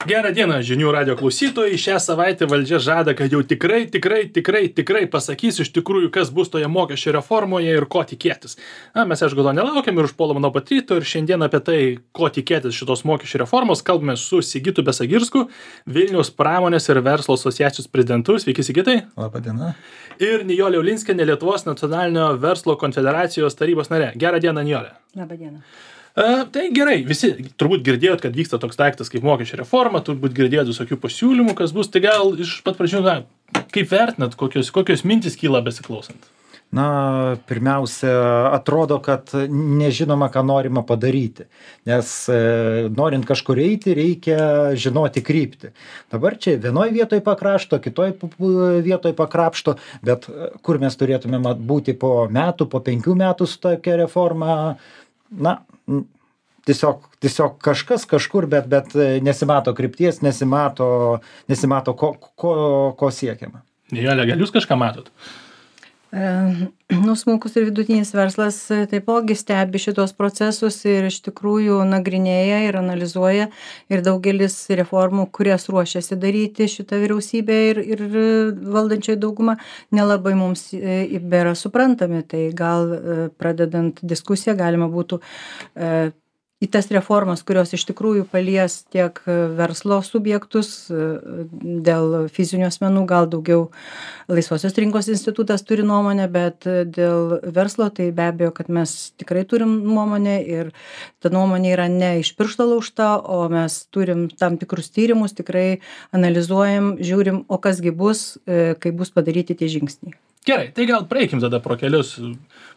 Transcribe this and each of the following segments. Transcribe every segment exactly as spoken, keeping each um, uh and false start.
Gerą dieną, žinių radio klausytojai. Šią savaitę valdžia žada, kad jau tikrai, tikrai, tikrai, tikrai pasakys iš tikrųjų, kas bus toje mokesčio reformoje ir ko tikėtis. Na, mes aišku to nelaukiam ir užpuolam nuo pat ryto ir šiandien apie tai, ko tikėtis šitos mokesčio reformos, kalbame su Sigitu Besagirsku, Vilniaus pramonės ir verslo asociacijos prezidentu. Sveiki, Sigitai. Labą dieną. Ir Nijolė Ulinskienė, Lietuvos nacionalinio verslo konfederacijos tarybos narė. Gerą dieną, Nijolė. Labą dieną. Uh, tai gerai, visi turbūt girdėjot, kad vyksta toks daiktas kaip mokesčio reforma, turbūt girdėjot visokių pasiūlymų, kas bus, tai gal iš pat pradžių, na, kaip vertinat, kokios, kokios mintis kyla besiklausant? Na, pirmiausia, atrodo, kad nežinoma, ką norima padaryti, nes e, norint kažkur eiti, reikia žinoti kryptį. Dabar čia vienoj vietoj pakrašto, kitoj vietoj pakrapšto, bet kur mes turėtume būti po metų, po penkių metų su tokia reforma, na, tiesiog, tiesiog kažkas kažkur, bet, bet nesimato krypties, nesimato, nesimato ko, ko, ko siekiama. Nijolė, gal jūs kažką matot? E, nu, smulkus ir vidutinis verslas taipogi stebi šitos procesus ir iš tikrųjų nagrinėja ir analizuoja ir daugelis reformų, kurias ruošiasi daryti šitą vyriausybę ir, ir valdančioji dauguma, nelabai mums bėra suprantami. Tai gal pradedant diskusiją galima būtų e, į tas reformas, kurios iš tikrųjų palies tiek verslo subjektus, dėl fizinių asmenų gal daugiau Laisvosios rinkos institutas turi nuomonę, bet dėl verslo tai be abejo, kad mes tikrai turim nuomonę ir ta nuomonė yra ne iš piršto laužta, o mes turim tam tikrus tyrimus, tikrai analizuojam, žiūrim, o kasgi bus, kai bus padaryti tie žingsniai. Gerai, tai gal praeikim tada pro kelius,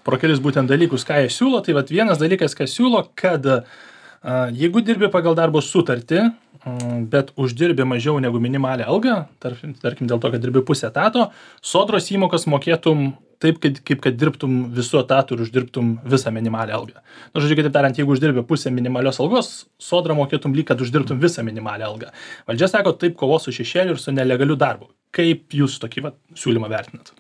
pro kelius būtent dalykus, ką jie siūlo. Tai vat vienas dalykas, ką siūlo, kad a, jeigu dirbi pagal darbo sutartį, a, bet uždirbi mažiau negu minimalią algą, tarkim, tarkim dėl to, kad dirbi pusę etato, sodros įmokas mokėtum taip, kaip, kaip kad dirbtum visų etatų ir uždirbtum visą minimalią algą. Na, žodžiu, kitaip tariant, jeigu uždirbi pusę minimalios algos, sodrą mokėtum lyg, kad uždirbtum visą minimalią algą. Valdžia sako, taip kovos su šešėliu ir su nelegaliu darbu. Kaip jūs tokį vat, siūlymą vertinat?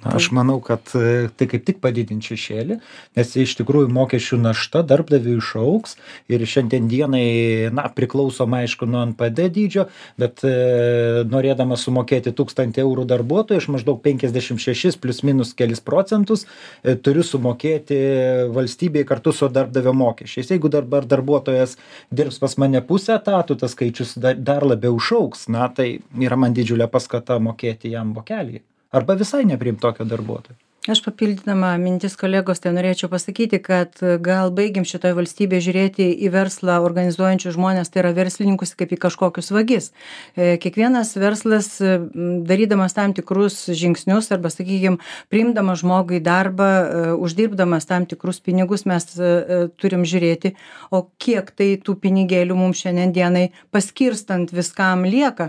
Aš manau, kad tai kaip tik padidint šešėlį, nes iš tikrųjų mokesčių našta darbdaviui išaugs ir šiandien dienai, na, priklausoma aišku nuo N P D dydžio, bet e, norėdama sumokėti tūkstantį eurų darbuotojui, aš maždaug penkiasdešimt šešis plus minus kelis procentus e, turiu sumokėti valstybei kartu su darbdavio mokesčiais. Jeigu dabar darbuotojas dirbs pas mane pusę etatų, tas skaičius dar, dar labiau išaugs, na, tai yra man didžiulė paskata mokėti jam vokelį. Arba visai nepriimt tokio darbuotojo. Aš papildydama mintis kolegos, tai norėčiau pasakyti, kad gal baigim šitoje valstybėje žiūrėti į verslą organizuojančių žmonės, tai yra verslininkus kaip į kažkokius vagis. Kiekvienas verslas, darydamas tam tikrus žingsnius arba, sakykime, priimdamas žmogų į darbą, uždirbdamas tam tikrus pinigus, mes turim žiūrėti, o kiek tai tų pinigėlių mums šiandien dienai paskirstant viskam lieka.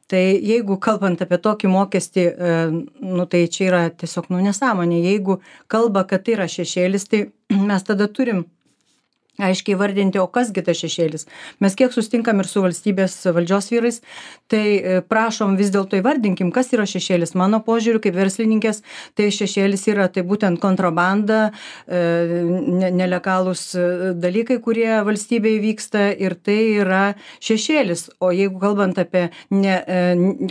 Tai jeigu kalbant apie tokį mokestį, nu tai čia yra tiesiog nu nesąmonė. Jeigu kalba, kad tai yra šešėlis, tai mes tada turim aiškiai vardinti, o kasgi tas šešėlis. Mes kiek sustinkam ir su valstybės valdžios vyrais, tai prašom vis dėlto įvardinkim, kas yra šešėlis. Mano požiūriu, kaip verslininkės, tai šešėlis yra tai būtent kontrabanda, ne, nelegalūs dalykai, kurie valstybėje vyksta ir tai yra šešėlis. O jeigu kalbant apie ne,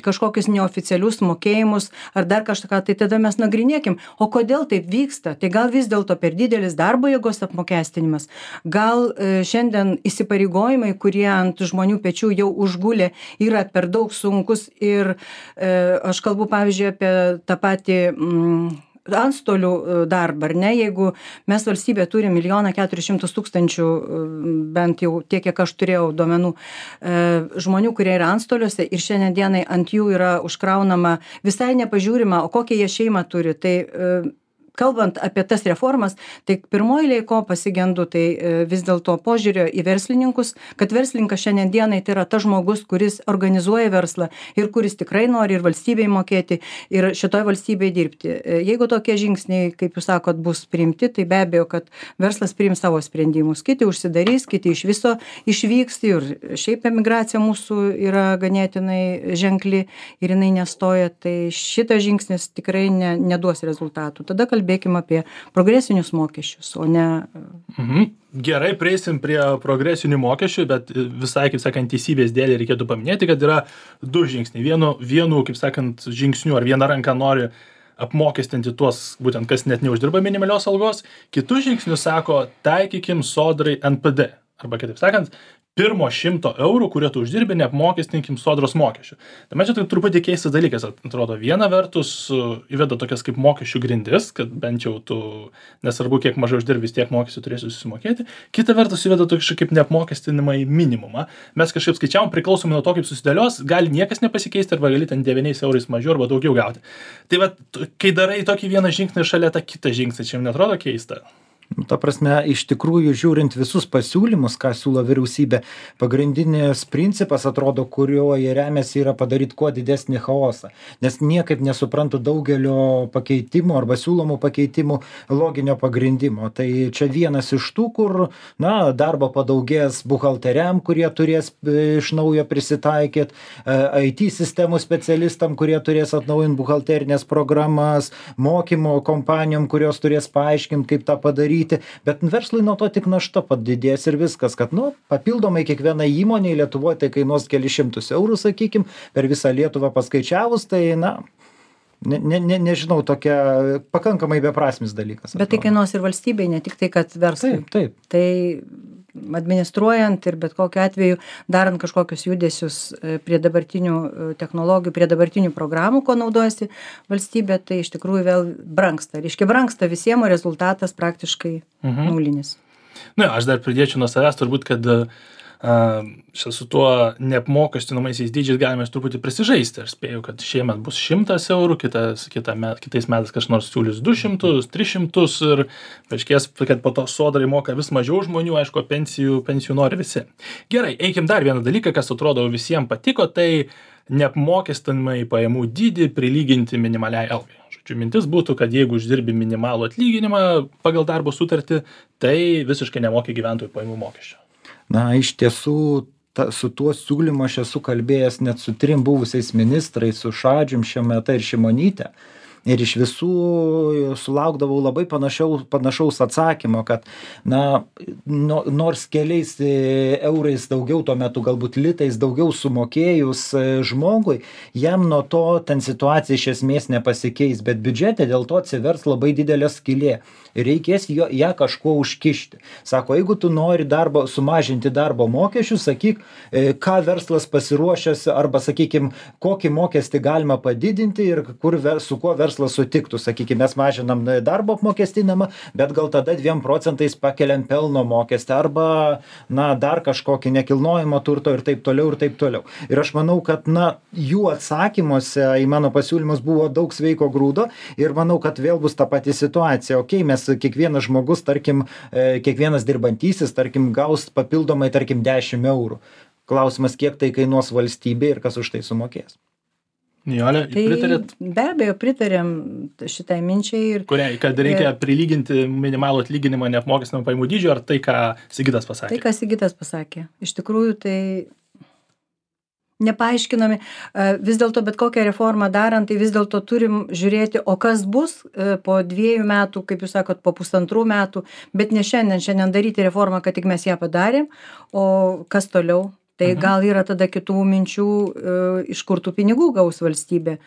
kažkokius neoficialius mokėjimus ar dar kažką, tai tada mes nagrinėkim, o kodėl taip vyksta. Tai gal vis dėlto per didelis darbo jėgos apmokestinimas. Gal šiandien įsipareigojimai, kurie ant žmonių pečių jau užgulė, yra per daug sunkus ir e, aš kalbu, pavyzdžiui, apie tą patį mm, antstolių darbą, ar ne? Jeigu mes valstybė turi milijoną keturis šimtus tūkstančių, bent jau tiek, kiek aš turėjau duomenų, e, žmonių, kurie yra antstoliuose ir šiandien dienai ant jų yra užkraunama visai nepažiūrima, o kokią jie šeimą turi, tai e, kalbant apie tas reformas, tai pirmoji eilėje ko pasigendu, tai vis dėlto požiūrio į verslininkus, kad verslininkas šiandien dienai tai yra tas žmogus, kuris organizuoja verslą ir kuris tikrai nori ir valstybei mokėti, ir šitoj valstybei dirbti. Jeigu tokie žingsniai, kaip jūs sakot, bus priimti, tai be abejo, kad verslas priims savo sprendimus. Kiti užsidarys, kiti iš viso išvyks ir šiaip emigracija mūsų yra ganėtinai ženkli ir jinai nestoja, tai šitas žingsnis tikrai ne, neduos rezultatų. Tada kalbėti kalbėkim apie progresinius mokesčius, o ne... Mhm. Gerai, prieisim prie progresinių mokesčių, bet visai, kaip sakant, teisybės dėlį reikėtų paminėti, kad yra du žingsniai. Vienu, vienu kaip sakant, žingsniu ar viena ranka nori apmokestinti tuos, būtent kas net neuždirba minimalios algos, kitų žingsnių sako, taikykim sodrai N P D. Arba kitaip sakant, pirmo šimto eurų, kurie tu uždirbi, neapmokestinkim sodros mokesčių. Tai man čia tai truputį keistas dalykas, atrodo, viena vertus įveda tokias kaip mokesčių grindis, kad bent jau tu, nesvarbu, kiek mažai uždirbi, tiek mokesčių turėsi susimokėti. Kita vertus įveda tokį kaip neapmokestinimą į minimumą. Mes kažkaip skaičiavom, priklausomai nuo to, kaip susidėlios, gali niekas nepasikeisti arba gali ten devyniais eurais mažiau arba daugiau gauti. Tai va, kai darai tokį vieną žingsnį šalia tą kitą žingsnį, čia jums netrodo keista? Ta prasme, iš tikrųjų, žiūrint visus pasiūlymus, ką siūlo vyriausybė, pagrindinis principas, atrodo, kuriuo jie remiasi, yra padaryti kuo didesnį chaosą. Nes niekaip nesuprantu daugelio pakeitimų arba siūlomų pakeitimų loginio pagrindimo. Tai čia vienas iš tų, kur, na, darbo padaugės buhalteriam, kurie turės iš naujo prisitaikyti, I T sistemų specialistam, kurie turės atnaujinti buhalterinės programas, mokymo kompanijom, kurios turės paaiškinti, kaip tą padaryti. Bet verslui nuo to tik našta padidės ir viskas, kad, nu, papildomai kiekviena įmonė Lietuvoje tai kainuos keli šimtus eurų, sakykim, per visą Lietuvą paskaičiavus, tai, na, ne, ne, ne, nežinau, tokia pakankamai beprasmis dalykas. Bet tai kainuos ir valstybei, ne tik tai, kad verslui. Taip, taip. Tai administruojant ir bet kokiu atveju darant kažkokius judesius prie dabartinių technologijų, prie dabartinių programų, ko naudojasi valstybė, tai iš tikrųjų vėl brangsta. Reiškia, brangsta visiems, o rezultatas praktiškai mhm. nulinis. Na, aš dar pridėčiau nuo savęs turbūt, kad Uh, su tuo neapmokestinamaisiais dydžiais galime truputį prisižaisti. Aš spėju, kad šiemet bus šimtas eurų, kitas, kita met, kitais metais kažkas nors siūlys du šimtus, tris šimtus ir paaiškės, kad po to sodrai moka vis mažiau žmonių, aišku, pensijų, pensijų nori visi. Gerai, eikim dar vieną dalyką, kas atrodo visiems patiko, tai neapmokestinamai pajamų dydį prilyginti minimaliai algai. Žodžiu, mintis būtų, kad jeigu uždirbi minimalų atlyginimą pagal darbo sutartį, tai visiškai nemoki gyventojų pajamų mokesčio. Na, iš tiesų, ta, su tuo siūlymu aš esu kalbėjęs net su trim buvusiais ministrais, su Šadžium, Šemeta ir Šimonyte. Ir iš visų sulaukdavau labai panašiaus, panašaus atsakymo, kad, na, no, nors keliais eurais daugiau, tuo metu galbūt litais daugiau sumokėjus žmogui, jam nuo to ten situacija iš esmės nepasikeis, bet biudžete dėl to atsivers labai didelė skylė. Reikės jo, ją kažkuo užkišti. Sako, jeigu tu nori darbo, sumažinti darbo mokesčius, sakyk, ką verslas pasiruošęs, arba, sakykim, kokį mokestį galima padidinti ir kur, su kuo verslas sutiktų. Sakykim, mes mažinam darbo apmokestinamą, bet gal tada dviem procentais pakeliam pelno mokestį, arba, na, dar kažkokį nekilnojimo turto ir taip toliau ir taip toliau. Ir aš manau, kad, na, jų atsakymuose į mano pasiūlymus buvo daug sveiko grūdo ir manau, kad vėl bus ta pati situacija. Okay, mes kiekvienas žmogus, tarkim, kiekvienas dirbantysis, tarkim, gaus papildomai, tarkim, dešimt eurų. Klausimas, kiek tai kainuos valstybė ir kas už tai sumokės. Nijolė, tai pritarėt? Be abejo, pritarėm šitai minčiai. Ir, Kuriai, kad reikia prilyginti minimalų atlyginimą neapmokestinamą pajamų dydžio, ar tai, ką Sigitas pasakė? Tai, ką Sigitas pasakė. Iš tikrųjų, tai nepaaiškinami. Vis dėlto bet kokią reformą darant, tai vis dėlto turim žiūrėti, o kas bus po dviejų metų, kaip jūs sakot, po pusantrų metų, bet ne šiandien, šiandien daryti reformą, kad tik mes ją padarėm, o kas toliau. Tai mhm. gal yra tada kitų minčių, iš kur tų pinigų gaus valstybė.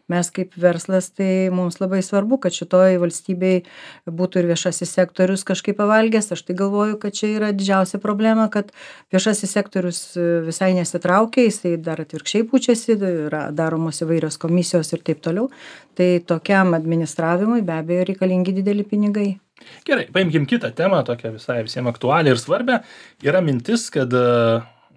Mes kaip verslas, tai mums labai svarbu, kad šitoj valstybei būtų ir viešasis sektorius kažkaip pavalgęs. Aš tai galvoju, kad čia yra didžiausia problema, kad viešasis sektorius visai nesitraukia, jisai dar atvirkščiai pučiasi, yra daromos įvairios komisijos ir taip toliau. Tai tokiam administravimui be abejo reikalingi dideli pinigai. Gerai, paimkim kitą temą, tokią visai visiems aktualią ir svarbę. Yra mintis, kad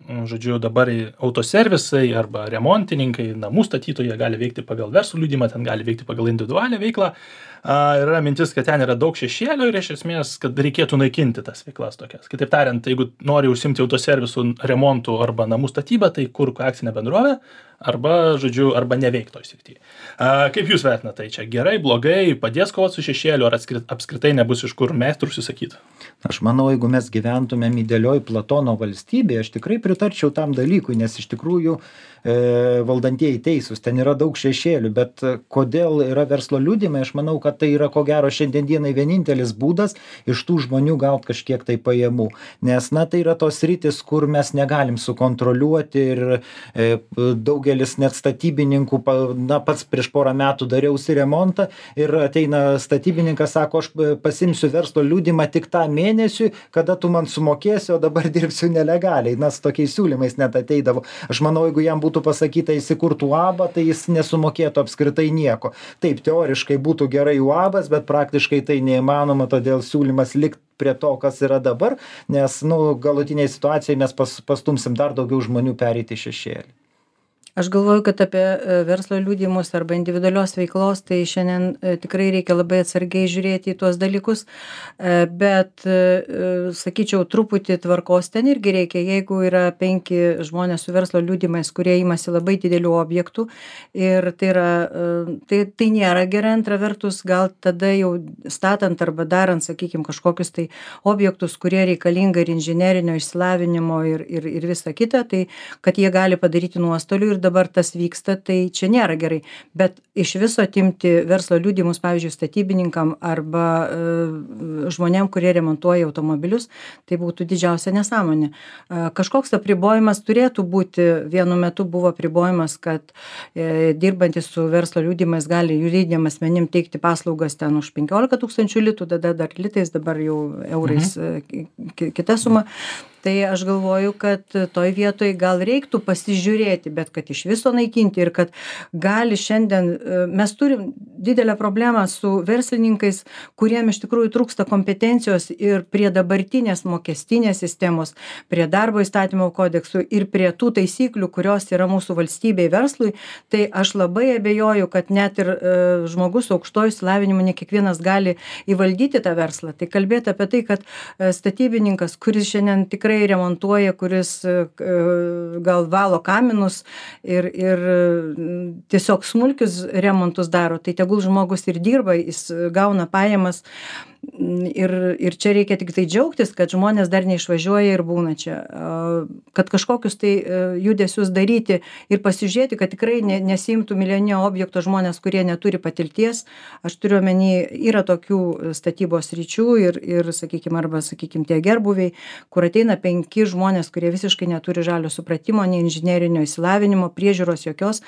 žodžiu, dabar autoservisai arba remontininkai, namų statytojai gali veikti pagal verslo liudijimą, ten gali veikti pagal individualią veiklą. Yra mintis, kad ten yra daug šešėlio ir iš esmės, kad reikėtų naikinti tas veiklas tokias. Kitaip tariant, jeigu nori užsimti autoservisų remontų arba namų statybą, tai kurk akcinę bendrovę arba, žodžiu, arba neveik toj srityje. Kaip jūs vertinate, tai čia gerai, blogai, padės kovoti su šešėliu, ar apskritai nebus iš kur meistrų užsisakyti? Aš manau, jeigu mes gyventumėm idealioj Platono valstybėje, aš tikrai pritarčiau tam dalykui, nes iš tikrųjų e, valdantieji teisūs, ten yra daug šešėlių, bet kodėl yra verslo liudijimai, aš manau, kad tai yra ko gero šiandien dienai vienintelis būdas iš tų žmonių gauti kažkiek tai pajamų. Nes, na, tai yra tos rytis, kur mes negalim sukontroliuoti ir e, daugelis net statybininkų, na, pats prieš porą metų dariausi remontą ir ateina statybininkas, sako, aš pasimsiu verslo liudijimą tik tą mėnesiui, kada tu man sumokėsi, o dabar dirbsiu nelegaliai. Na, su tokiais siūlymais net ateidavo. Aš manau, jeigu jam būtų pasakyta įsikurtų uabą, tai jis nesumokėtų apskritai nieko. Taip, teoriškai būtų gerai uabas, bet praktiškai tai neįmanoma, todėl siūlymas likti prie to, kas yra dabar, nes, nu, galutiniai situacijai mes pas, pastumsim dar daugiau žmonių pereiti šešėlį. Aš galvoju, kad apie verslo liudijimus arba individualios veiklos, tai šiandien tikrai reikia labai atsargiai žiūrėti į tuos dalykus, bet, sakyčiau, truputį tvarkos ten irgi reikia, jeigu yra penki žmonės su verslo liudijimais, kurie imasi labai didelių objektų ir tai, yra, tai, tai nėra gerai, antra vertus, gal tada jau statant arba darant, sakykime, kažkokius tai objektus, kurie reikalinga ir inžinerinio išsilavinimo ir, ir, ir visa kita, tai kad jie gali padaryti nuostolių ir dabar tas vyksta, tai čia nėra gerai. Bet iš viso atimti verslo liudijimus, pavyzdžiui, statybininkam arba e, žmonėm, kurie remontuoja automobilius, tai būtų didžiausia nesąmonė. E, kažkoks apribojimas turėtų būti, vienu metu buvo apribojimas, kad e, dirbantis su verslo liudijimais gali juridiniam asmenim teikti paslaugas ten už penkiolika tūkstančių litų, tada dar litais, dabar jau eurais mhm. e, kita suma. Tai aš galvoju, kad toj vietoj gal reiktų pasižiūrėti, bet kad iš viso naikinti ir kad gali šiandien, mes turim didelę problemą su verslininkais, kuriem iš tikrųjų trūksta kompetencijos ir prie dabartinės mokestinės sistemos, prie darbo įstatymo kodeksų ir prie tų taisyklių, kurios yra mūsų valstybei verslui, tai aš labai abejoju, kad net ir e, žmogus aukštojo išsilavinimo ne kiekvienas gali įvaldyti tą verslą. Tai kalbėti apie tai, kad e, statybininkas, kuris šiandien tikrai remontuoja, kuris gal valo kaminus ir, ir tiesiog smulkius remontus daro, tai tegul žmogus ir dirba, jis gauna pajamas. Ir, ir čia reikia tik tai džiaugtis, kad žmonės dar neišvažiuoja ir būna čia. Kad kažkokius tai judesius daryti ir pasižiūrėti, kad tikrai ne, nesimtų milijoninio objekto žmonės, kurie neturi patirties. Aš turiu omeny, yra tokių statybos ryčių ir, ir sakykime, arba, sakykime, tie gerbuviai, kur ateina penki žmonės, kurie visiškai neturi žalio supratimo, nei inžinerinio įsilavinimo, priežiūros jokios,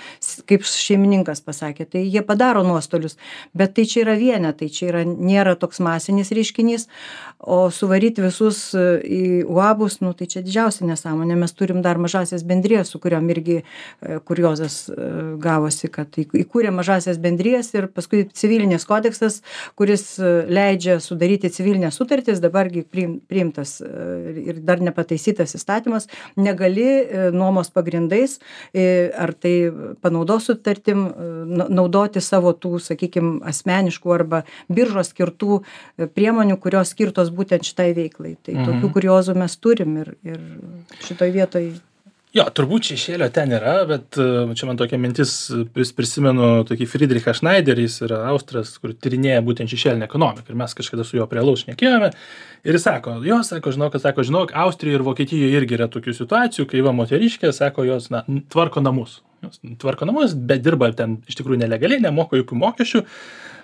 kaip šeimininkas pasakė. Tai jie padaro nuostolius, bet tai čia yra vienetai, čia yra, nėra toks masinis reiškinys, o suvaryti visus į uabus, nu, tai čia didžiausia nesąmonė. Mes turim dar mažasias bendrijas, su kuriom irgi kuriozas gavosi, kad įkūrė mažasias bendrijas ir paskui civilinės kodeksas, kuris leidžia sudaryti civilinės sutartis, dabargi priimtas ir dar nepataisytas įstatymas, negali nuomos pagrindais ar tai panaudos sutartim naudoti savo tų, sakykime, asmeniškų arba biržos skirtų priemonių, kurios skirtos būtent šitai veiklai. Tai mhm. tokių kuriozų mes turim ir, ir šitoj vietoj. Jo, turbūt šešėlio ten yra, bet čia man tokia mintis, prisimenu tokį Friedrichą Schneiderį, jis yra austras, kur tyrinėja būtent šešėlinę ekonomiką. Ir mes kažkada su juo prie alaus šnekėjome. Ir jis sako, jo, sako, žinok, sako, žinok, Austrijoje ir Vokietijoje irgi yra tokių situacijų, kai va moteriškė, sako, jos, na, tvarko namus. Jos tvarko namus, bet dirba ten iš tikrųjų nelegaliai, nemoka jokių mokesčių.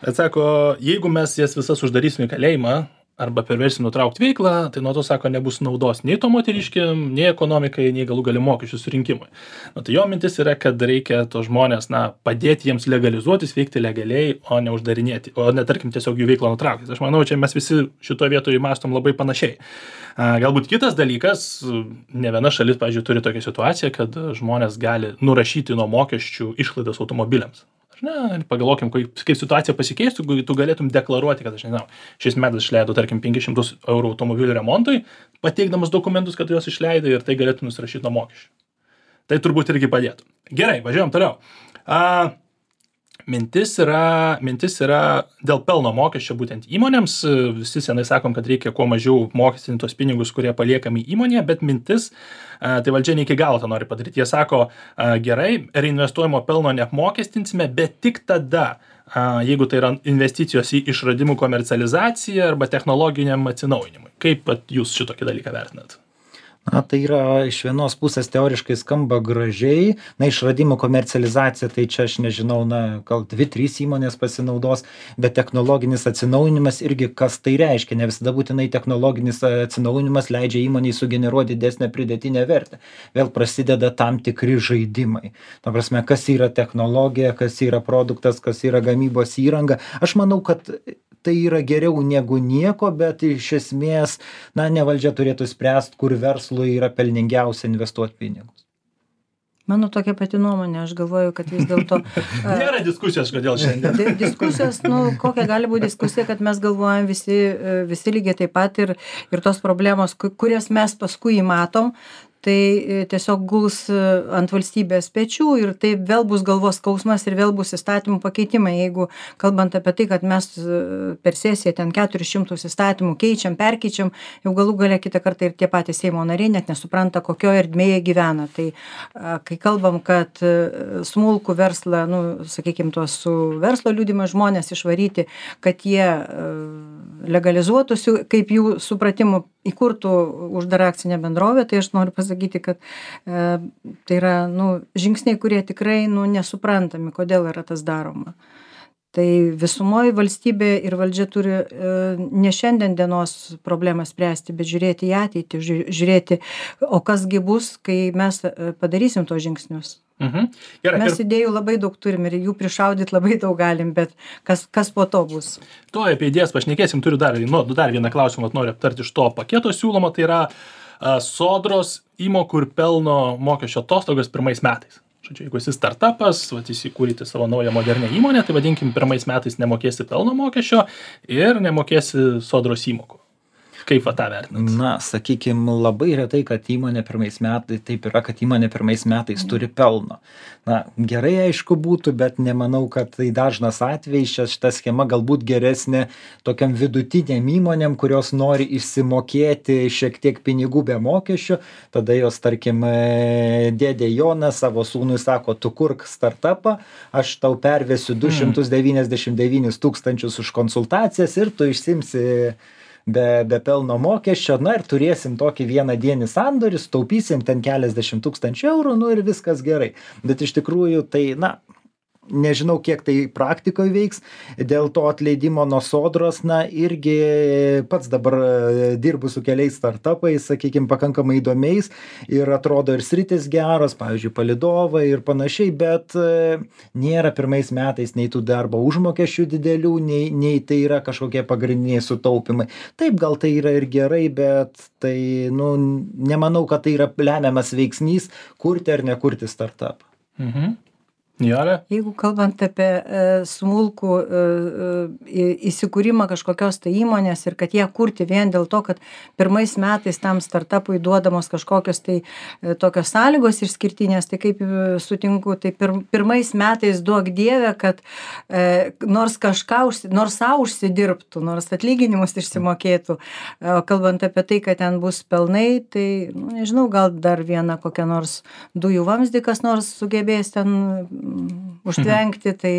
Bet sako, jeigu mes jas visas uždarysim į kalėjimą, arba perversim nutraukti veiklą, tai nuo to, sako, nebus naudos nei to moteriškiam, nei ekonomikai, nei galų gali mokesčių surinkimui. Nu, tai jo mintis yra, kad reikia to žmonės, na, padėti jiems legalizuotis, veikti legaliai, o ne uždarinėti, o ne, tarkim, tiesiog jų veiklą nutraukti. Aš manau, čia mes visi šitoje vietoje mąstom labai panašiai. Galbūt kitas dalykas, ne viena šalis, pavyzdžiui, turi tokią situaciją, kad žmonės gali nurašyti nuo mokesčių išlaidas automobiliams. Na, pagalvokim, kaip, kaip situacija pasikeistų, tu galėtum deklaruoti, kad aš nežinau, šiais metais išleidau, tarkim, penkis šimtus eurų automobilių remontui, pateikdamas dokumentus, kad juos išleidai ir tai galėtum nusirašyti nuo mokesčių. Tai turbūt irgi padėtų. Gerai, važiuojam toliau. A, mintis yra, mintis yra dėl pelno mokesčio būtent įmonėms. Visi senai sakom, kad reikia kuo mažiau mokestinti tos pinigus, kurie paliekami įmonėje, bet mintis, tai valdžia ne iki galo tą nori padaryti. Jie sako, gerai, reinvestuojamo pelno neapmokestinsime, bet tik tada, jeigu tai yra investicijos į išradimų komercializaciją arba technologiniam atsinaujinimui. Kaip jūs šitokį dalyką vertinat? Na, tai yra iš vienos pusės teoriškai skamba gražiai, na, išradimų komercializacija, tai čia aš nežinau, na, gal dvi, trys įmonės pasinaudos, bet technologinis atsinaujinimas irgi kas tai reiškia, ne visada būtinai technologinis atsinaujinimas leidžia įmoniai sugeneruoti didesnę pridėtinę vertę. Vėl prasideda tam tikri žaidimai. Ta prasme, kas yra technologija, kas yra produktas, kas yra gamybos įranga. Aš manau, kad tai yra geriau negu nieko, bet iš esmės, na, ne valdžia turėtų spręsti, kur verslui yra pelningiausia investuoti pinigus. Mano tokia pati nuomonė, aš galvoju, kad vis dėlto... Nėra diskusijos, kodėl šiandien. Diskusijos, nu, kokia gali būti diskusija, kad mes galvojam visi, visi lygiai taip pat ir, ir tos problemos, kurias mes paskui matom, tai tiesiog guls ant valstybės pečių ir tai vėl bus galvos skausmas ir vėl bus įstatymų pakeitimai. Jeigu kalbant apie tai, kad mes per sesiją ten keturis šimtus įstatymų keičiam, perkeičiam, jau galų gale kitą kartą ir tie patys Seimo nariai net nesupranta, kokioje erdmėje gyvena. Tai kai kalbam, kad smulkų verslą, nu, sakykime, tuos su verslo liudijimais žmonės išvaryti, kad jie legalizuotųsi, kaip jų supratimu įkurtų uždarą akcinę bendrovę, tai aš noriu pasakyti, kad e, tai yra nu, žingsniai, kurie tikrai nu, nesuprantami, kodėl yra tas daroma. Tai visumoje valstybė ir valdžia turi e, ne šiandien dienos problemą spręsti, bet žiūrėti į ateitį, žiūrėti, o kasgi bus, kai mes padarysim tos žingsnius. Mhm. Gerai, mes ir... idėjų labai daug turim ir jų prišaudyti labai daug galim, bet kas, kas po to bus? To apie idėjas pašnekėsim, turiu dar, nu, dar vieną klausimą, noriu aptarti iš to paketo siūlomo, tai yra a, sodros įmokų ir pelno mokesčio atostogos pirmais metais. Žodžiu, jeigu esi startupas, vat, įsikūryti savo naują modernę įmonę, tai vadinkim, pirmais metais nemokėsi pelno mokesčio ir nemokėsi sodros įmokų. Kaip va tą vertinat? Na, sakykim, labai retai, kad įmonė pirmais metais, taip yra, kad įmonė pirmais metais turi pelno. Na, gerai aišku būtų, bet nemanau, kad tai dažnas atvejis, šita schema galbūt geresnė tokiam vidutiniam įmonėm, kurios nori išsimokėti šiek tiek pinigų be mokesčių, tada jos, tarkim, dėdė Jonas savo sūnui sako, tu kurk startupą, aš tau pervesiu du šimtus devyniasdešimt devynis tūkstančius už konsultacijas ir tu išsimsi be, be pelno mokesčio, na ir turėsim tokį vieną dienį sandorį, taupysim ten keliasdešimt tūkstančių eurų, nu ir viskas gerai. Bet iš tikrųjų tai, na, nežinau, kiek tai praktikoje veiks, dėl to atleidimo nuo sodros, na, irgi pats dabar dirbu su keliais startupais, sakykime, pakankamai įdomiais ir atrodo ir sritis geros, pavyzdžiui, palidovai ir panašiai, bet nėra pirmais metais nei tų darbo užmokesčių didelių, nei, nei tai yra kažkokie pagrindiniai sutaupimai. Taip, gal tai yra ir gerai, bet tai, nu, nemanau, kad tai yra lemiamas veiksnys kurti ar nekurti startupą. Mhm. Nijolė? Jeigu kalbant apie e, smulkų e, e, įsikūrimą kažkokios tai įmonės ir kad ją kurti vien dėl to, kad pirmais metais tam startupui duodamos kažkokios tai e, tokios sąlygos išskirtinės, tai kaip e, sutinku, tai pir, pirmais metais duok dievę, kad e, nors kažką, užsi, nors savo užsidirbtų, nors atlyginimus išsimokėtų. E, kalbant apie tai, kad ten bus pelnai, tai, nu, nežinau, gal dar vieną kokią nors dujų vamzdį kas nors sugebės ten užtvenkti, tai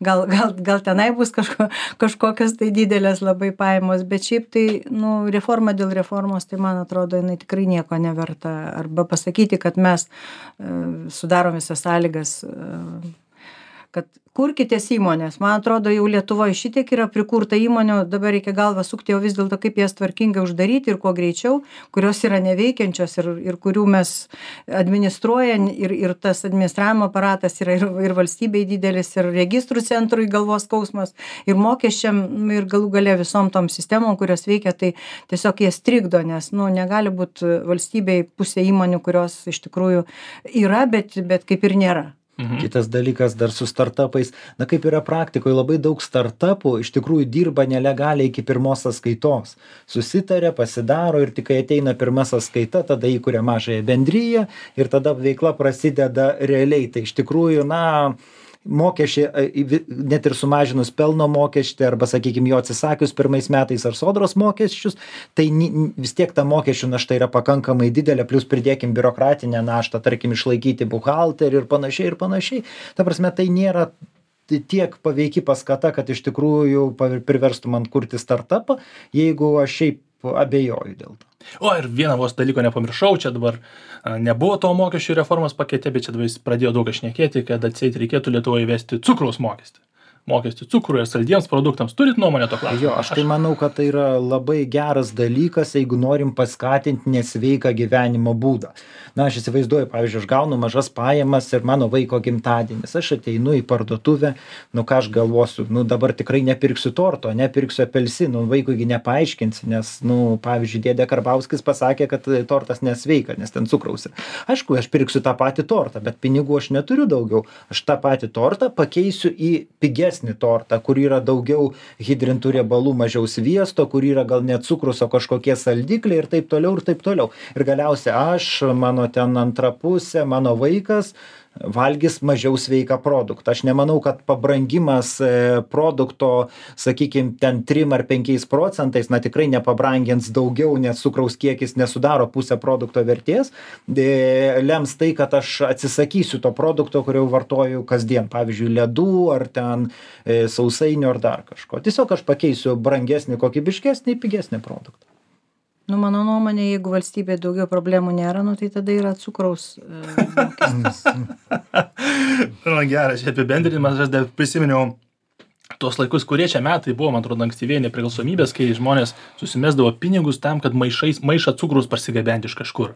gal, gal, gal tenai bus kažko, kažkokios tai didelės labai pajamos, bet šiaip tai, nu, reforma dėl reformos, tai man atrodo, jinai tikrai nieko neverta. Arba pasakyti, kad mes uh, sudarom visas sąlygas, uh, kad kurkitės įmonės. Man atrodo, jau Lietuvoje šitiek yra prikurta įmonių, dabar reikia galvą sukti, o vis dėlto kaip jas tvarkingai uždaryti ir kuo greičiau, kurios yra neveikiančios ir, ir kurių mes administruojam ir, ir tas administravimo aparatas yra ir, ir valstybei didelis, ir registrų centrui galvos skausmas, ir mokesčiam, ir galų gale visom tom sistemom, kurios veikia, tai tiesiog jas trikdo, nes, nu, negali būti valstybei pusė įmonių, kurios iš tikrųjų yra, bet, bet kaip ir nėra. Mhm. Kitas dalykas dar su startupais, na kaip yra praktikoje, labai daug startupų iš tikrųjų dirba nelegaliai iki pirmos sąskaitos. Susitarė, pasidaro ir tik kai ateina pirma sąskaita, tada įkuria mažąją bendryją ir tada veikla prasideda realiai. Tai iš tikrųjų, na, mokesčiai, net ir sumažinus pelno mokestį arba, sakykime, jo atsisakius pirmais metais ar sodros mokesčius, tai vis tiek ta mokesčių našta yra pakankamai didelė, plus pridėkim biurokratinę naštą, tarkim, išlaikyti buhalterį ir panašiai ir panašiai. Ta prasme, tai nėra tiek paveiki paskata, kad iš tikrųjų priverstų man kurti startupą, jeigu aš šiaip abejoju dėl to. O ir vieną vos dalyko nepamiršau, čia dabar a, nebuvo to mokesčių reformos pakete, bet čia dabar jis pradėjo daug šnekėti, kad atseit reikėtų Lietuvoje įvesti cukraus mokestį. Mokestį cukrui ir saldiems produktams. Turit nuomonę to klausimu? Jo, aš tai manau, kad tai yra labai geras dalykas, jeigu norim paskatinti nesveiką gyvenimo būdą. Na, aš įsivaizduoju, pavyzdžiui, aš gaunu mažas pajamas ir mano vaiko gimtadienis. Aš ateinu į parduotuvę, nu ką aš galvosiu, nu dabar tikrai nepirksiu torto, nepirksiu apelsinų, vaikuigi nepaaiškinsi, nes, nu, pavyzdžiui, dėdė Karbauskis pasakė, kad tortas nesveika, nes ten cukraus yra. Aišku, aš pirksiu tą patį tortą, bet pinigų aš neturiu daugiau. Aš tą patį tortą pakeisiu į pigesnį tortą, kur yra daugiau hidrintų riebalų, mažiau sviesto, kur yra gal net cukrus, o kažkokie saldikliai ir taip toliau ir taip toliau. Ir galiausiai aš, mano ten antra pusė, mano vaikas valgys mažiau sveiką produktą. Aš nemanau, kad pabrangimas produkto, sakykime, ten trim ar penkiais procentais, na tikrai nepabrangins daugiau, nes cukraus kiekis nesudaro pusę produkto vertės, lems tai, kad aš atsisakysiu to produkto, kurio vartoju kasdien, pavyzdžiui, ledų ar ten sausainių ar dar kažko. Tiesiog aš pakeisiu brangesnį, kokybiškesnį, pigesnį produktą. Nu, mano nuomonė, jeigu valstybėje daugiau problemų nėra, nu, tai tada yra cukraus e, mokestis. Nu, geras, čia apibendrinimas, aš dar prisiminiau tuos laikus, kurie čia metai buvo, man atrodo, ankstyvėje nepriklausomybės, kai žmonės susimesdavo pinigus tam, kad maišais, maišą cukrus parsigabenti iš kažkur.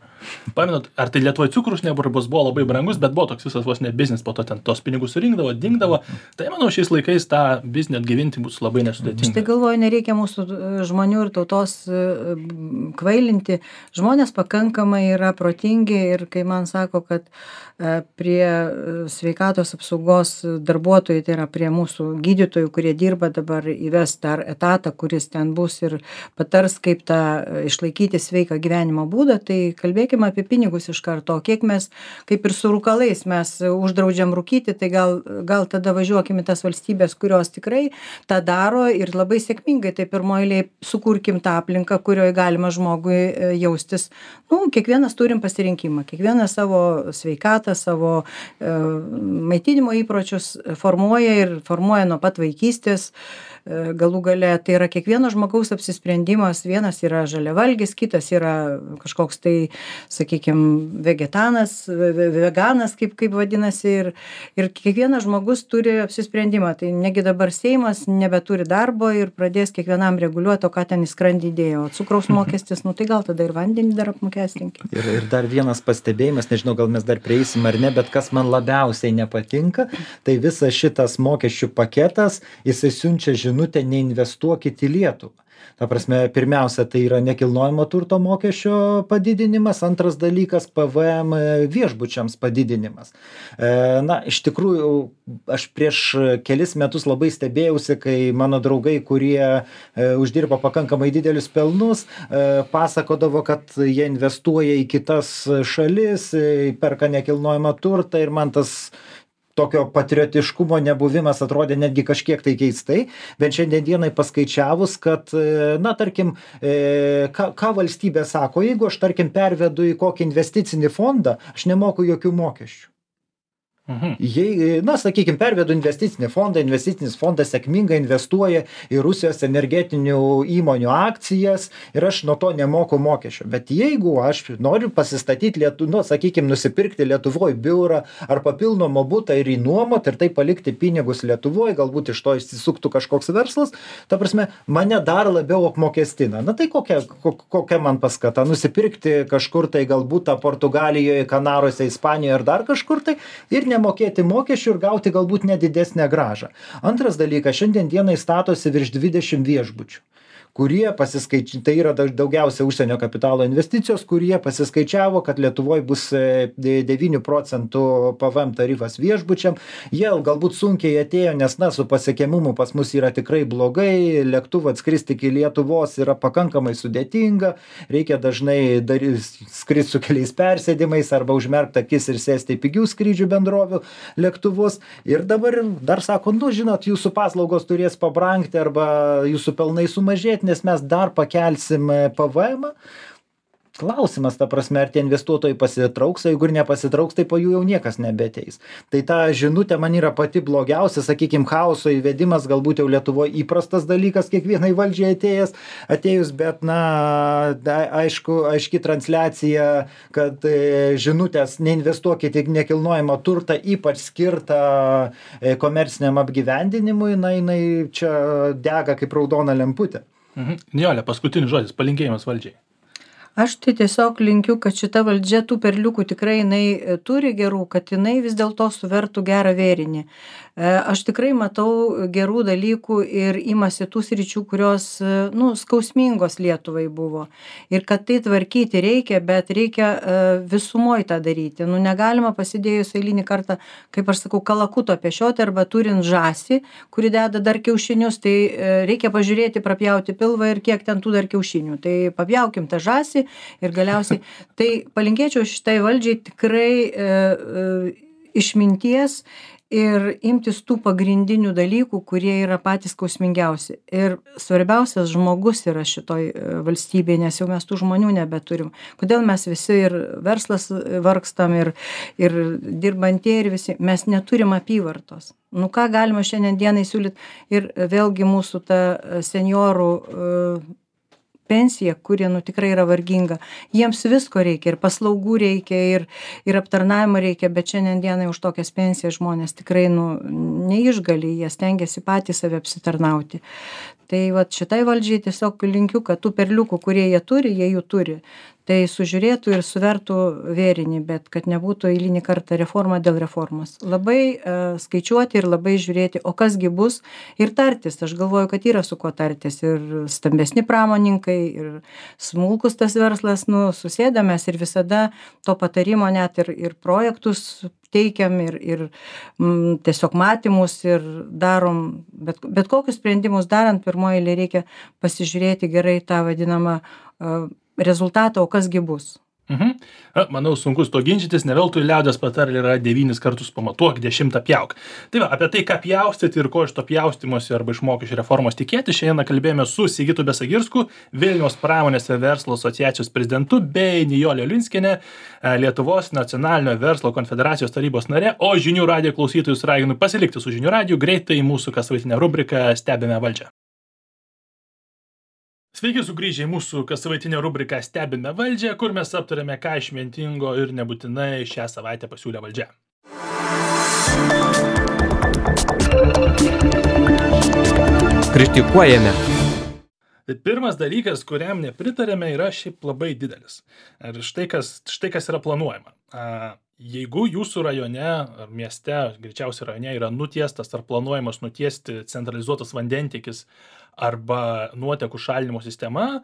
Pamenat, ar tai Lietuvoje cukrus nebūtų buvo labai brangus, bet buvo toks visas vos ne biznis, po to ten tos pinigus surinkdavo, dingdavo. Tai manau, šiais laikais tą biznį atgyvinti bus labai nesudėtinga. Štai galvoju, nereikia mūsų žmonių ir tautos kvailinti. Žmonės pakankamai yra protingi ir kai man sako, kad prie sveikatos apsaugos darbuotojų, tai yra prie mūsų gydytojų, kurie dirba dabar, įves dar etatą, kuris ten bus ir patars, kaip tą išlaikyti sveiką gyvenimo būdą, tai kalbėkime apie pinigus iš karto. O kiek mes, kaip ir su rūkalais, mes uždraudžiam rūkyti, tai gal, gal tada važiuokime tas valstybės, kurios tikrai tą daro ir labai sėkmingai. Tai pirmoji eilėje sukurkim tą aplinką, kurioje galima žmogui jaustis. Nu, kiekvienas turim pasirinkimą, kiekvienas savo sveikatą, savo e, maitinimo įpročius formuoja ir formuoja nuo pat vaikystės. Galų gale tai yra kiekvieno žmogaus apsisprendimas, vienas yra žaliavalgis, kitas yra kažkoks tai, sakykime, vegetanas, veganas, kaip, kaip vadinasi, ir, ir kiekvienas žmogus turi apsisprendimą. Tai negi dabar Seimas nebeturi darbo ir pradės kiekvienam reguliuoti, o ką ten į skrandį dėjo. O cukraus mokestis, nu tai gal tada ir vandenį dar apmokestinkim. Ir, ir dar vienas pastebėjimas, nežinau, gal mes dar prieisim ar ne, bet kas man labiausiai nepatinka, tai visas šitas mokesčių paketas, jisai siunčia žinutę, neinvestuokit į Lietuvą. Ta prasme, pirmiausia, tai yra nekilnojamo turto mokesčio padidinimas, antras dalykas P V M viešbučiams padidinimas. Na, iš tikrųjų, aš prieš kelis metus labai stebėjausi, kai mano draugai, kurie uždirba pakankamai didelius pelnus, pasakodavo, kad jie investuoja į kitas šalis, perka nekilnojamą turtą ir man tas tokio patriotiškumo nebuvimas atrodė netgi kažkiek tai keistai, bet šiandien dienai paskaičiavus, kad, na, tarkim, ką, ką valstybė sako, jeigu aš, tarkim, pervedu į kokį investicinį fondą, aš nemoku jokių mokesčių. Mhm. Jei, na, sakykime, pervedu investicinį fondą, investicinis fondas sėkmingai investuoja į Rusijos energetinių įmonių akcijas ir aš nuo to nemoku mokesčio. Bet jeigu aš noriu pasistatyti, Lietu, nu, sakykime, nusipirkti Lietuvoje biurą ar papildomą butą ir įnuomot ir tai palikti pinigus Lietuvoje, galbūt iš to išsisuktų kažkoks verslas, ta prasme, mane dar labiau apmokestina. Na tai kokia, kokia man paskata? Nusipirkti kažkur tai galbūt Portugalijoje, Kanaruose, Ispanijoje ar dar kažkur tai ir ne mokėti mokesčių ir gauti galbūt nedidesnę grąžą. Antras dalykas, šiandien dienai statosi virš dvidešimt viešbučių, kurie pasiskaičiavo, tai yra daugiausia užsienio kapitalo investicijos, kurie pasiskaičiavo, kad Lietuvoje bus devynių procentų P V M tarifas viešbučiam. Jie galbūt sunkiai atėjo, nes, na, su pasiekiamumu pas mus yra tikrai blogai, lėktuvą atskristi iki Lietuvos yra pakankamai sudėtinga, reikia dažnai skristi su keliais persėdimais arba užmerkti akis ir sėsti į pigių skrydžių bendrovių lėktuvus. Ir dabar dar sako, nu, žinot, jūsų paslaugos turės pabrangti arba jūsų pelnai sumažėti, nes mes dar pakelsim P V M-ą. klausimas, ta prasme, ar tie investuotojai pasitrauks, o jeigu ir nepasitrauks, tai po jų jau niekas nebeteis. Tai ta žinutė man yra pati blogiausia, sakykime, chaoso įvedimas, galbūt jau Lietuvoje įprastas dalykas kiekvienai valdžiai atėjęs, atėjus, bet, na, aišku, aiški transliacija, kad žinutės neinvestuokite į nekilnojamą turtą, ypač skirtą komerciniam apgyvendinimui, na, jinai čia dega kaip raudona lemputė. Mhm. Nijolė, paskutinis žodis, palinkėjimas valdžiai. Aš tai tiesiog linkiu, kad šita valdžia tų perliukų tikrai jinai turi gerų, kad jinai vis dėlto suvertų gerą vėrinį. Aš tikrai matau gerų dalykų ir imasi tų sričių, kurios, nu, skausmingos Lietuvai buvo. Ir kad tai tvarkyti reikia, bet reikia visumoje tą daryti. Nu, negalima pasidėjus eilinį kartą, kaip aš sakau, kalakuto pešioti arba turint žąsį, kuri deda dar kiaušinius, tai reikia pažiūrėti, prapjauti pilvą ir kiek ten tų dar kiaušinių. Tai papjaukim tą žąsį ir galiausiai. Tai palinkėčiau šitai valdžiai tikrai e, e, išminties ir imtis tų pagrindinių dalykų, kurie yra patys skausmingiausi. Ir svarbiausias žmogus yra šitoj valstybėje, nes jau mes tų žmonių nebeturim. Kodėl mes visi ir verslas vargstam, ir, ir dirbantieji, ir visi, mes neturim apyvartos. Nu ką galima šiandien dienai siūlyti, ir vėlgi mūsų ta seniorų pensija, kurie, nu, tikrai yra varginga. Jiems visko reikia, ir paslaugų reikia, ir, ir aptarnavimo reikia, bet šiandien dienai už tokias pensijas žmonės tikrai, nu, neišgali, jie stengiasi patys save apsitarnauti. Tai vat šitai valdžiai tiesiog linkiu, kad tų perliukų, kurie jie turi, jie jų turi. Tai sužiūrėtų ir suvertų vėrinį, bet kad nebūtų eilinį kartą reforma dėl reformos. Labai uh, skaičiuoti ir labai žiūrėti, o kasgi bus, ir tartis. Aš galvoju, kad yra su kuo tartis. Ir stambesni pramoninkai, ir smulkus tas verslas, nu, susėdamės ir visada to patarimo net ir, ir projektus teikiam, ir, ir mm, tiesiog matymus ir darom, bet, bet kokius sprendimus darant, pirmoji eilė reikia pasižiūrėti gerai tą vadinamą uh, rezultatą, o kasgi bus. Mhm. Manau, sunkus to ginčytis, ne veltui liaudės patarlė yra devynis kartus pamatuok, dešimtą pjauk. Tai va, apie tai, ką pjaustyti ir ko iš to pjaustymosi arba iš mokesčių reformos tikėti, šiandien kalbėjome su Sigitu Besagirsku, Vilniaus pramonės ir verslo asociacijos prezidentu, bei Nijolė Liunskienė, Lietuvos nacionalinio verslo konfederacijos tarybos narė, o žinių radijo klausytojus raginu pasilikti su žinių radiju, greitai mūsų kassavaitinę rubriką Stebime valdžią. Sveiki sugrįžę į mūsų kassavaitinę rubriką Stebime valdžią, kur mes aptarėme, ką išmintingo ir nebūtinai šią savaitę pasiūlė valdžia. Kritikuojame. Tai pirmas dalykas, kuriam nepritarėme, yra šiaip labai didelis. Ir štai kas, štai kas yra planuojama. Jeigu jūsų rajone ar mieste, greičiausiai rajone, yra nutiestas ar planuojamas nutiesti centralizuotas vandentiekis arba nuotekų šalinimo sistema,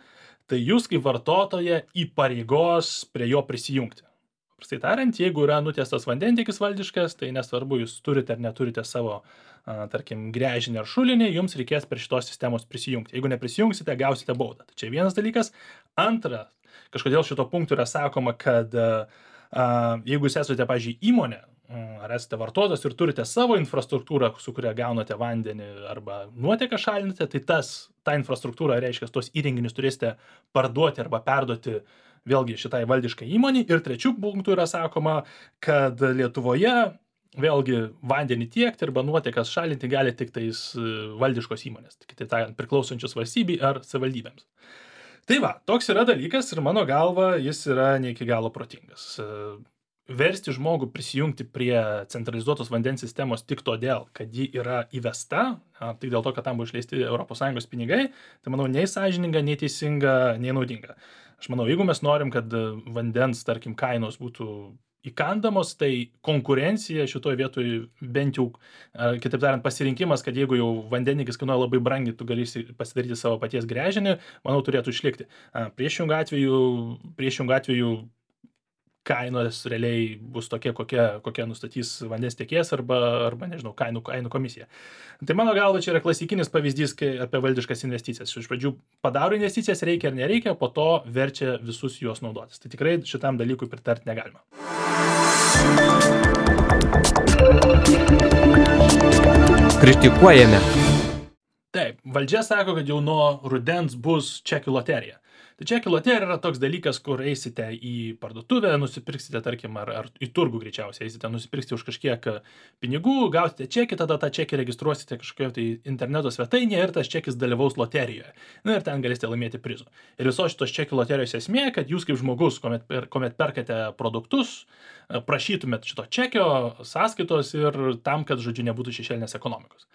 tai jūs kaip vartotoja įpareigos prie jo prisijungti. Paprastai tariant, jeigu yra nutiestas vandentiekis valdiškas, tai nesvarbu, jūs turite ar neturite savo, a, tarkim, gręžinį ar šulinį, jums reikės prie šitos sistemos prisijungti. Jeigu neprisijungsite, gausite baudą. Tai čia vienas dalykas. Antra, kažkodėl šito punktų yra sakoma, kad a, a, jeigu jūs esate, pavyzdžiui, įmonė, ar esate vartotojas ir turite savo infrastruktūrą, su kuria gaunate vandenį arba nuoteką šalinate, tai tas, ta infrastruktūra, reiškia, tos įrenginius turėsite parduoti arba perduoti vėlgi šitai valdiškai įmonei. Ir trečių punktų yra sakoma, kad Lietuvoje vėlgi vandenį tiekti arba nuotekas šalinti gali tik tais valdiškos įmonės, tai tai priklausančios valstybei ar savivaldybėms. Tai va, toks yra dalykas ir mano galva jis yra ne iki galo protingas. Versti žmogų prisijungti prie centralizuotos vandens sistemos tik todėl, kad ji yra įvesta, tik dėl to, kad tam buvo išleisti Europos Sąjungos pinigai, tai manau, nei sąžininga, nei teisinga, nei naudinga. Aš manau, jeigu mes norim, kad vandens, tarkim, kainos būtų įkandamos, tai konkurencija šitoje vietoje bent jau, kitaip tariant, pasirinkimas, kad jeigu jau vandeniekis kainuoja labai brangiai, tu galėsi pasidaryti savo paties gręžinį, manau, turėtų išlikti. Priešingų atveju, priešingų atveju kainos realiai bus tokie, kokie, kokie nustatys vandens tiekėjas arba, arba nežinau, kainų, kainų komisija. Tai mano galva čia yra klasikinis pavyzdys apie valdiškas investicijas. Iš pradžių padaro investicijas, reikia ar nereikia, po to verčia visus juos naudotis. Tai tikrai šitam dalykui pritarti negalima. Kritikuojame. Taip, valdžia sako, kad jau nuo rudens bus čekių loterija. Tai čekių loterija yra toks dalykas, kur eisite į parduotuvę, nusipirksite, tarkim, ar, ar į turgų greičiausiai, eisite nusipirksite už kažkiek pinigų, gausite čekį, tada tą čekį registruosite kažkokioje tai interneto svetainėje ir tas čekis dalyvaus loterijoje. Na ir ten galėsite laimėti prizų. Ir visos šitos čekių loterijos esmė, kad jūs kaip žmogus, kuomet, per, kuomet perkate produktus, prašytumėt šito čekio sąskaitos ir tam, kad, žodžiu, nebūtų šešėlinės ekonomikos.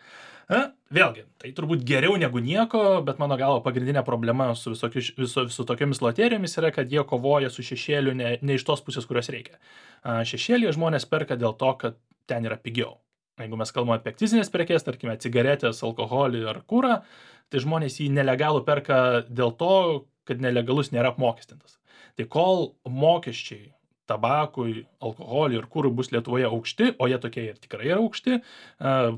Na, vėlgi, tai turbūt geriau negu nieko, bet mano galvo pagrindinė problema su visokiu, viso, viso tokiamis loterijomis yra, kad jie kovoja su šešėliu ne, ne iš tos pusės, kurios reikia. Šešėlį žmonės perka dėl to, kad ten yra pigiau. Jeigu mes kalbame apie akcizinės prekės, tarkime, cigaretės, alkoholį ar kūrą, tai žmonės jį nelegalų perka dėl to, kad nelegalus nėra apmokestintas. Tai kol mokesčiai tabakui, alkoholiui ir kūrui bus Lietuvoje aukšti, o jie tokie ir tikrai yra aukšti,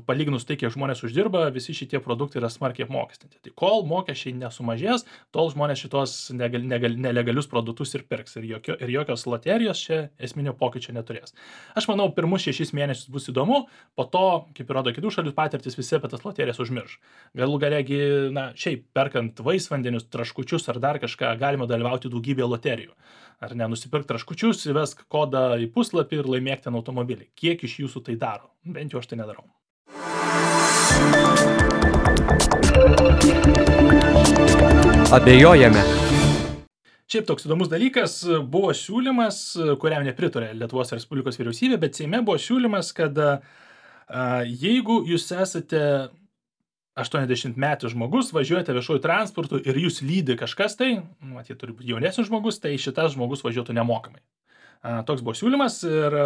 palyginus tai, kiek žmonės uždirba, visi šitie produktai yra smarkiai apmokestinti. Tai kol mokesčiai nesumažės, tol žmonės šitos negal, negal, nelegalius produktus ir pirks. Ir, jokio, ir jokios loterijos čia esminio pokyčio neturės. Aš manau, pirmus šešis mėnesius bus įdomu, po to, kaip ir rodo kitų šalių patirtis, visi apie tas loterijas užmirš. Galų galegi, na, šiaip perkant vaisvandenius, traškučius ar dar kažką, galima dalyvauti daugybėje loterijų. Ar ne, nusipirk traškučius, įvesk kodą į puslapį ir laimėk ten automobilį. Kiek iš jūsų tai daro? Bent jau aš tai nedarau. Abejojame. Šiaip toks įdomus dalykas, buvo siūlymas, kuriam nepritarė Lietuvos Respublikos vyriausybė, bet Seime buvo siūlymas, kad a, jeigu jūs esate aštuoniasdešimtmetis žmogus, važiuojate viešuoju transportu ir jūs lydi kažkas tai, matyt, turi būti jaunesnis žmogus, tai šitas žmogus važiuotų nemokamai. A, toks buvo siūlymas ir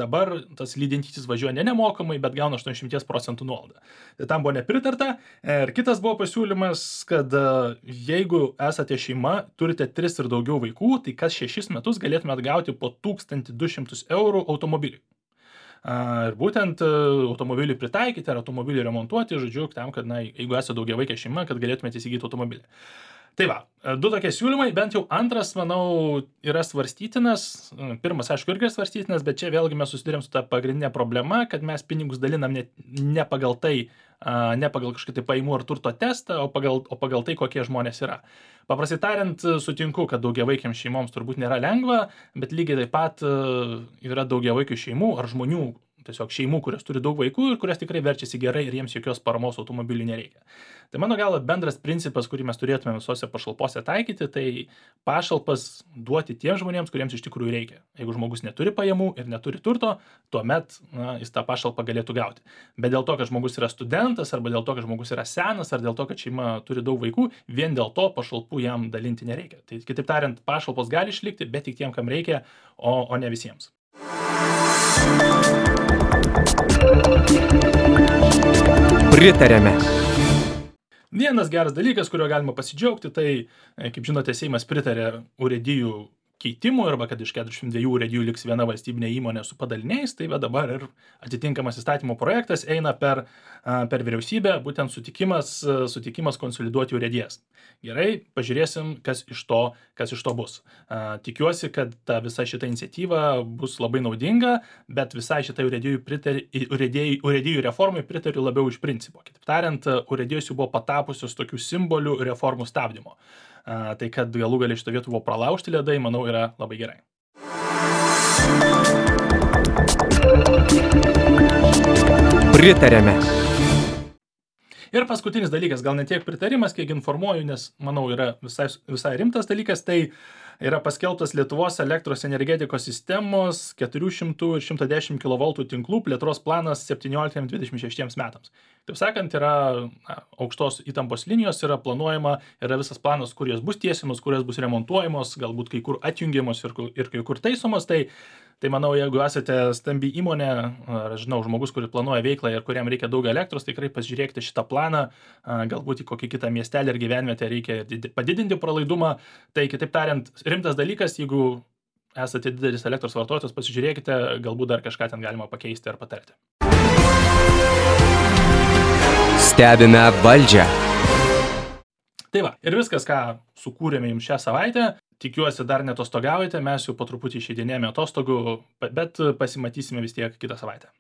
dabar tas lydintysis važiuoja ne nemokamai, bet gauna aštuoniasdešimt procentų nuolaidą. Tai tam buvo nepritarta. Ir kitas buvo pasiūlymas, kad jeigu esate šeima, turite tris ir daugiau vaikų, tai kas šešis metus galėtumėt gauti po tūkstantį du šimtus eurų automobiliui. Ir būtent automobilį pritaikyti ar automobilį remontuoti, žodžiu, tam, kad, na, jeigu esate daugiavaikė šeima, kad galėtumėte įsigyti automobilį. Tai va, du tokie siūlymai, bent jau antras, manau, yra svarstytinas. Pirmas, aišku, irgi svarstytinas, bet čia vėlgi mes susidurėm su ta pagrindinė problema, kad mes pinigus dalinam ne, ne pagal tai, ne pagal kažkokį tai pajamų ar turto testą, o pagal, o pagal tai, kokie žmonės yra. Paprastai tariant, sutinku, kad daugiavaikiams šeimoms turbūt nėra lengva, bet lygiai taip pat yra daugiavaikių šeimų ar žmonių, tiesiog šeimų, kurios turi daug vaikų ir kurios tikrai verčiasi gerai ir jiems jokios paramos automobilių nereikia. Tai mano galva bendras principas, kurį mes turėtume visose pašalpose taikyti, tai pašalpas duoti tiems žmonėms, kuriems iš tikrųjų reikia. Jeigu žmogus neturi pajamų ir neturi turto, tuomet, na, jis tą pašalpą galėtų gauti. Bet dėl to, kad žmogus yra studentas, arba dėl to, kad žmogus yra senas, ar dėl to, kad šeima turi daug vaikų, vien dėl to pašalpų jam dalinti nereikia. Tai kitaip tariant, pašalpos gali išlikti, bet tik tiem, kam reikia, o, o ne visiems. Pritarėme. Vienas geras dalykas, kurio galima pasidžiaugti, tai, kaip žinote, Seimas pritarė urėdijų keitimų, arba kad iš keturiasdešimt dviejų urėdijų liks viena valstybinė įmonė su padaliniais, tai va dabar ir atitinkamas įstatymo projektas eina per, per vyriausybę, būtent sutikimas, sutikimas konsoliduoti urėdijas. Gerai, pažiūrėsim, kas iš to, kas iš to bus. Tikiuosi, kad ta visa šita iniciatyva bus labai naudinga, bet visai šitai urėdijų, pritari, urėdijų, urėdijų reformai pritariu labiau iš principo. Kitaip tariant, urėdijos jau buvo patapusios tokių simbolių reformų stabdymo. Uh, tai kad galų gali šitą vietą buvo pralaužti ledai, manau, yra labai gerai. Pritarėme. Ir paskutinis dalykas, gal ne tiek pritarimas, kiek informuoju, nes, manau, yra visai, visai rimtas dalykas, tai yra paskelbtas Lietuvos elektros energetikos sistemos keturių šimtų ir šimto dešimt kilovoltų tinklų plėtros planas septynioliktiems dvidešimt šeštiems metams. Taip sakant, yra na, aukštos įtampos linijos, yra planuojama, yra visas planas, kur jos bus tiesiamos, kur jos bus remontuojamos, galbūt kai kur atjungiamos ir, ir kai kur taisomos. Tai, tai manau, jeigu esate stambi įmonė, ar žinau, žmogus, kuris planuoja veiklą ir kuriam reikia daug elektros, tikrai pasižiūrėkite šitą planą, galbūt į kokį kitą miestelį ar gyvenvietę reikia padidinti pralaidumą. Tai kitaip tariant, rimtas dalykas, jeigu esate didelis elektros vartotojas, pasižiūrėkite, galbūt dar kažką ten galima pakeisti ar patarti. Stebime valdžią. Tai va, ir viskas, ką sukūrėme jums šią savaitę. Tikiuosi, dar netostogaujate, mes jau po truputį išeidinėjame atostogų, bet pasimatysime vis tiek kitą savaitę.